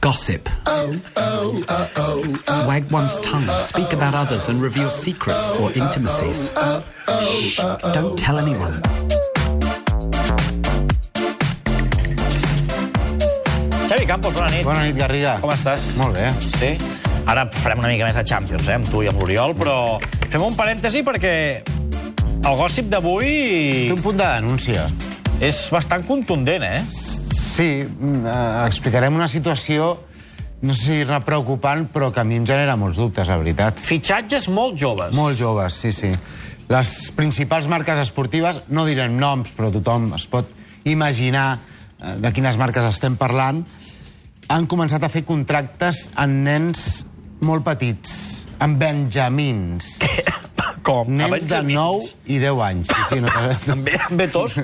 Gossip. Wag one's tongue, speak about others and reveal secrets or intimacies. Shh, don't tell anyone. Xavi Campos, bona nit. Bona nit, Garriga. Com estàs? Molt bé. Sí? Ara farem una mica més de Champions, amb tu i amb l'Oriol, però fem un parèntesi perquè el gossip d'avui Té un punt de denúncia. és bastant contundent, eh? Sí, explicarem una situació, no sé si dir-ne preocupant, però que a mi em genera molts dubtes, la veritat. Fitxatges molt joves. Molt joves, sí, sí. Les principals marques esportives, no direm noms, però tothom es pot imaginar de quines marques estem parlant, han començat a fer contractes amb nens molt petits, amb benjamins. Com? Nens de 9 i 10 anys. Sí, no Amb tos?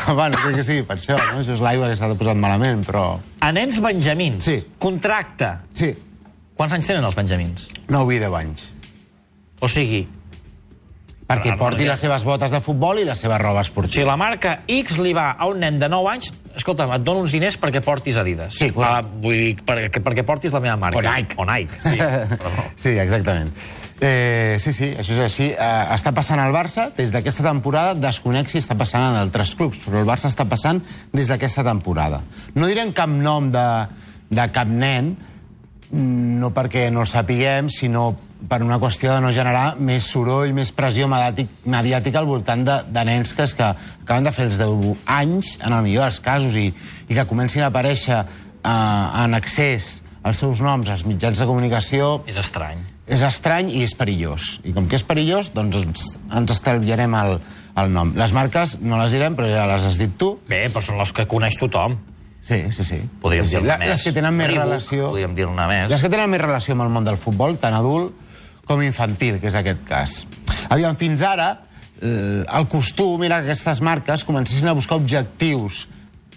Bueno, crec que sí, per això, no? Això és l'aigua que s'ha posat malament, però... A nens benjamins? Sí. Contracte? Sí, Quants anys tenen els benjamins? 9 i 10 anys. O sigui, Perquè porti les seves botes de futbol i la seva roba si esportiva. la marca X li va a un nen de 9 anys, escolta'm, et dono uns diners perquè portis Adidas. Sí, correcte. Vull dir, perquè portis la meva marca. O Nike. O Nike, sí. Però no. Sí, exactament. Sí, això és així. Està passant al Barça des d'aquesta temporada, desconec si està passant en altres clubs, però el Barça està passant des d'aquesta temporada. No direm cap nom de cap nen, no perquè no el sapiguem, sinó per una qüestió de no generar més soroll, més pressió mediàtica al voltant de nens que acaben de fer els 10 anys, en el millor dels casos, i que comencin a aparèixer en accés als seus noms als mitjans de comunicació. És estrany. És estrany i és perillós. I com que és perillós, doncs ens estalviarem el nom. Les marques no les direm, però ja les has dit tu. Bé, però són les que coneix tothom. Sí. Podríem dir-ne més. Les que tenen més Reebok, relació... podríem dir-ne més. Les que tenen més relació amb el món del futbol, tant adult com infantil, que és aquest cas. Aviam, fins ara, el costum era que aquestes marques comencessin a buscar objectius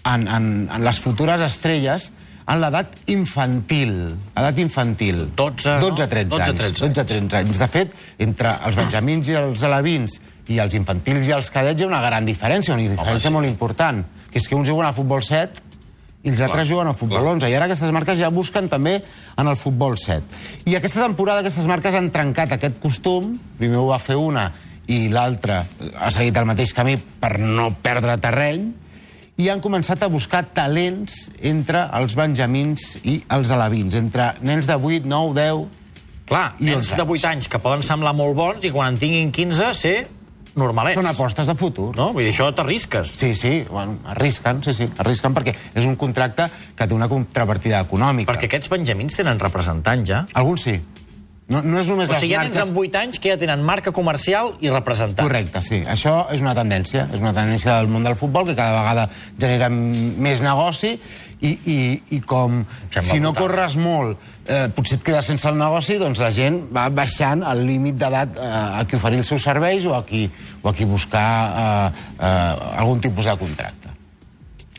en les futures estrelles en l'edat infantil. Edat infantil. 12-13 anys. De fet, entre els benjamins i els alevins i els infantils i els cadets hi ha una gran diferència, una diferència molt important, que és que uns juguen a futbol 7 i els altres juguen a futbol 11. I ara aquestes marques ja busquen també en el futbol 7. I aquesta temporada aquestes marques han trencat aquest costum. Primer ho va fer una i l'altra ha seguit el mateix camí per no perdre terreny, i han començat a buscar talents entre els benjamins i els alevins, entre nens de 8, 9, 10... Clar, nens de 8 anys que poden semblar molt bons i quan en tinguin 15 ser normalets. Són apostes de futur. No? Vull dir, això t'arrisques. Sí, bueno, arrisquen perquè és un contracte que té una contrapartida econòmica. Perquè aquests benjamins tenen representant ja. Alguns sí. No és només o sigui, hi ha les nens amb 8 anys que ja tenen marca comercial i representant. Correcte, sí. Això és una tendència. És una tendència del món del futbol que cada vegada genera més negoci i com si no corres molt potser et quedes sense el negoci, doncs la gent va baixant el límit d'edat a qui oferir els seus serveis o a qui buscar algun tipus de contracte.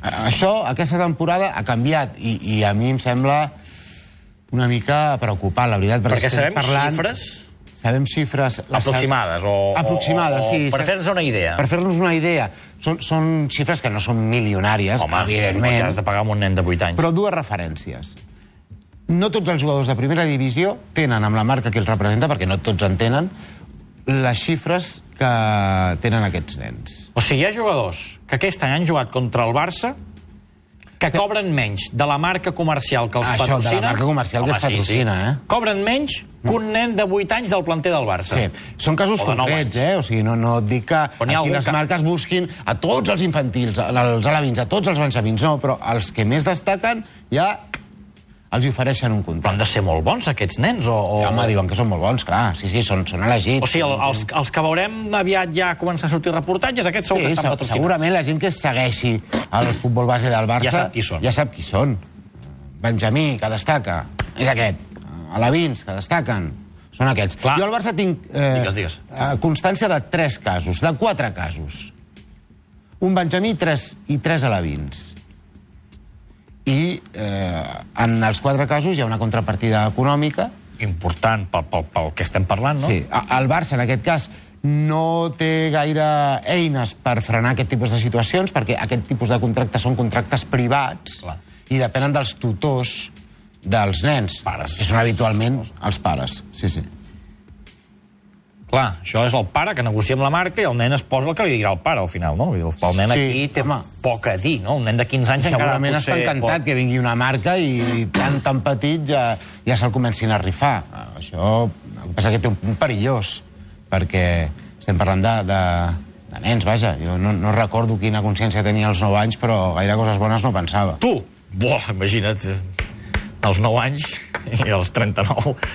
Això, aquesta temporada, ha canviat i a mi em sembla una mica preocupant, la veritat. Perquè sabem xifres? Sabem xifres... Aproximades, Aproximades, sí. Per fer-nos una idea. Per fer-nos una idea. Són xifres que no són milionàries, evidentment. Home, has de pagar amb un nen de 8 anys. Però dues referències. No tots els jugadors de primera divisió tenen amb la marca que els representa, perquè no tots en tenen, les xifres que tenen aquests nens. O sigui, hi ha jugadors que aquest any han jugat contra el Barça que cobren menys de la marca comercial que els patrocina... Això, de la marca comercial que els patrocina, Cobren menys que un nen de 8 anys del planter del Barça. Sí, són casos concrets, O sigui, no et dic que aquí les marques busquin a tots els infantils, als alevins, a tots els benjamins, no, però els que més destaquen ja els ofereixen un contracte. Però han de ser molt bons, aquests nens, Home, diuen que són molt bons, clar, sí, són elegits. O sigui, els que veurem aviat ja començar a sortir reportatges, aquests segur que estan patrocinats. Segurament la gent que segueixi el futbol base del Barça ja sap qui són. Benjamí, que destaca, és aquest. Alevins, que destaquen, són aquests. Jo al Barça tinc constància de 3 casos, de 4 casos. Un benjamí i 3 alevins. I en els 4 casos hi ha una contrapartida econòmica. Important pel que estem parlant, no? Sí. El Barça, en aquest cas, no té gaire eines per frenar aquest tipus de situacions, perquè aquest tipus de contractes són contractes privats i depenen dels tutors dels nens. Pares. Que són habitualment els pares, sí, sí. Clar, això és el pare que negocia amb la marca i el nen es posa el que li dirà el pare al final, no? El nen aquí té poc a dir, no? Un nen de 15 anys encara segurament potser... està encantat que vingui una marca i tan petit ja se'l comencin a rifar. Això, el que passa que té un punt perillós, perquè estem parlant de nens, vaja. Jo no recordo quina consciència tenia als 9 anys, però gaire coses bones no pensava. Tu? Buah, imagina't, als 9 anys i als 39.